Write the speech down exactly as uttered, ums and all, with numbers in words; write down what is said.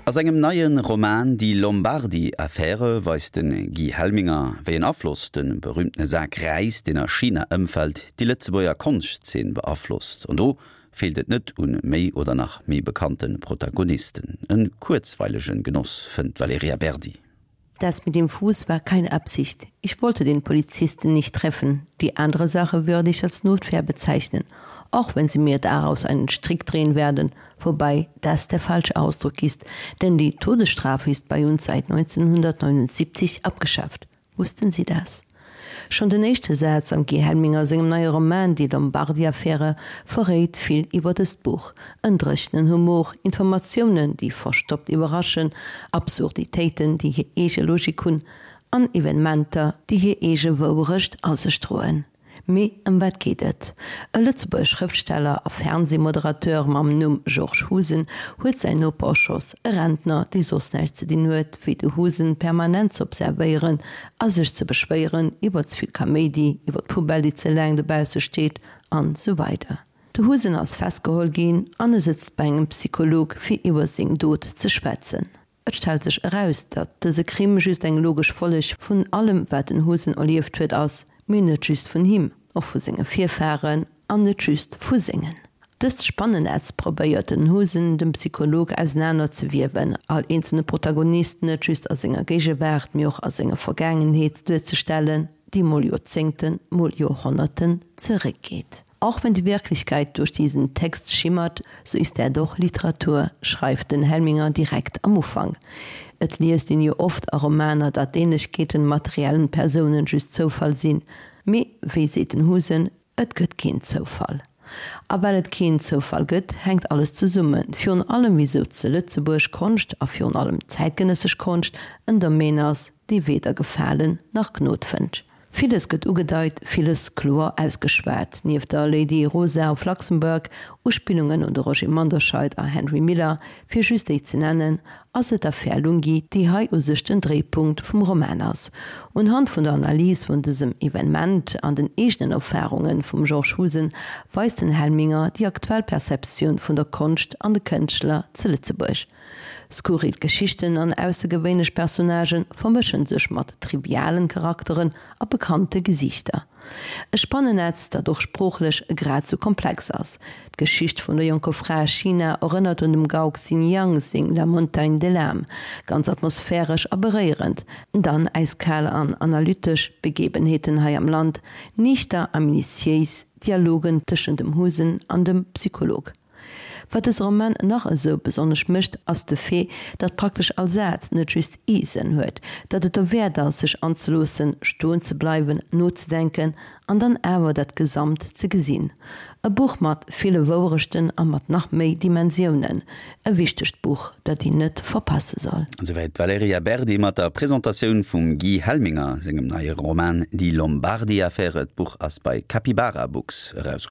A sengem neie Roman Die Lombardi-Affäre weist de Guy Helminger, wéi en Afloss de berüümtene Sak Räis, deen a China ëmfält, déi Lëtzebuerger Konschtzeen beaflosst. An do feelt et net un méi oder nach méi bekannte Protagonisten. E kuerzweilege Genoss fënnt d'Valerija Berdi. Das mit dem Fuß war keine Absicht. Ich wollte den Polizisten nicht treffen. Die andere Sache würde ich als Notwehr bezeichnen, auch wenn sie mir daraus einen Strick drehen werden, wobei das der falsche Ausdruck ist, denn die Todesstrafe ist bei uns seit neunzehnhundertneunundsiebzig abgeschafft. Wussten Sie das? Schonn den éischte Saz am Guy Helminger sengem neie Roman Die Lombardi-Affäre verréit vill iwwer dëst Buch, En dréchenen Humor, Informatiounen, déi verstoppt iwwerraschen, Absurditéiten, déi hir eege Logik hunn, an Evenementer, déi hir eege Wouerecht a sech droen. Mee ëm wat geet et? E Lëtzebuerger Schrëftsteller a Fernsehmoderateur mam Numm Georges Husen huet säin Noper erschoss, e Rentner, dee soss näischt ze dinn huet, wéi de Husen permanent ze observéieren a sech ze beschwéieren iwwer ze vill Kaméidi, iwwer d'Poubelle, déi ze laang dobausse steet, an esou weider. De Husen ass festgeholl ginn an e sëtzt bei engem Psycholog, fir iwwer seng Dot ze schwätzen. Et stellt sech eraus, datt dëse Crime just eng logesch Folleg vun allem, wat den Husen erlieft huet, ass, mee net just vun him, och vu senge Virfaren, an net just vu sengen. Dëst Spannennetz probéiert den Husen dem Psycholog ausenaner ze wiewen, all eenzelne Protagonist net just a senger Géigewaart, mee och a senger Vergaangenheet duerzestellen, déi mol Joerzéngten, mol Joerhonnerten zeréckgeet. Auch wenn die Wirklichkeit durch diesen Text schimmert, so ist er doch Literatur, schreift den Helminger direkt am Ufank. Et liest een jo oft a Romaner, datt Ähnlechkeeten mat reellen Persounen just Zoufall sinn. Mee, wéi seet den Husen, et gëtt keen Zoufall. A well et keen Zoufall gëtt, hänkt alles zesummen, virun allem wisou zu Lëtzebuerg Konscht, a virun allem zäitgenëssesch Konscht, en Domaine ass, dee weder Gefalen nach Gnod fënnt. Villes gëtt ugedeit, villes kloer ausgeschwat. Nieft der Lady Rosa of Luxembourg, Uspillungen un de Roger Manderscheid a Henry Miller, fir just déi ze nennen, ass et d'Affär Lunghi, déi hei u sech den Dréipunkt vum Roman ass. Unhand vun der Analys vun dësem Evenement an den eegenen Erfarunge vum Georges Husen weist den Helminger déi aktuell Perceptioun vun der Konscht an de Kënschtler zu Lëtzebuerg. Skurril Geschichten an aussergewéinlech Personnagë vermëschen sech mat trivialen Charakteren a bekannte Gesiichter. E Spannennetz, dat och sproochlech grad sou komplex ass. D'Geschicht vun der jonker Fra a China erënnert un dem Gao Xinjiang seng La montagne de l'âme, ganz atmosphäresch a beréierend, dann äiskal an analytesch Begebenheeten hei am Land, niichter a minutiéis Dialogen tëschent dem Husen an dem Psycholog. Wat dëse Roman nach esou besonnesch mécht, ass de Fait, datt praktesch all Saz net just ee Sënn huet, datt et derwäert ass, sech anzeloossen, stoen ze bleiwen, nozedenken an dann awer dat Gesamt ze gesinn. E Buch mat ville Wouerechten a mat nach méi Dimensiounen. E wichtegt Buch, dat een net verpasse soll. Esouwäit d'Valerija Berdi mat der Presentatioun vum Guy Helminger sengem neie Roman Die Lombardi-Affäre. D'Buch ass bei Capybara Books erauskomm.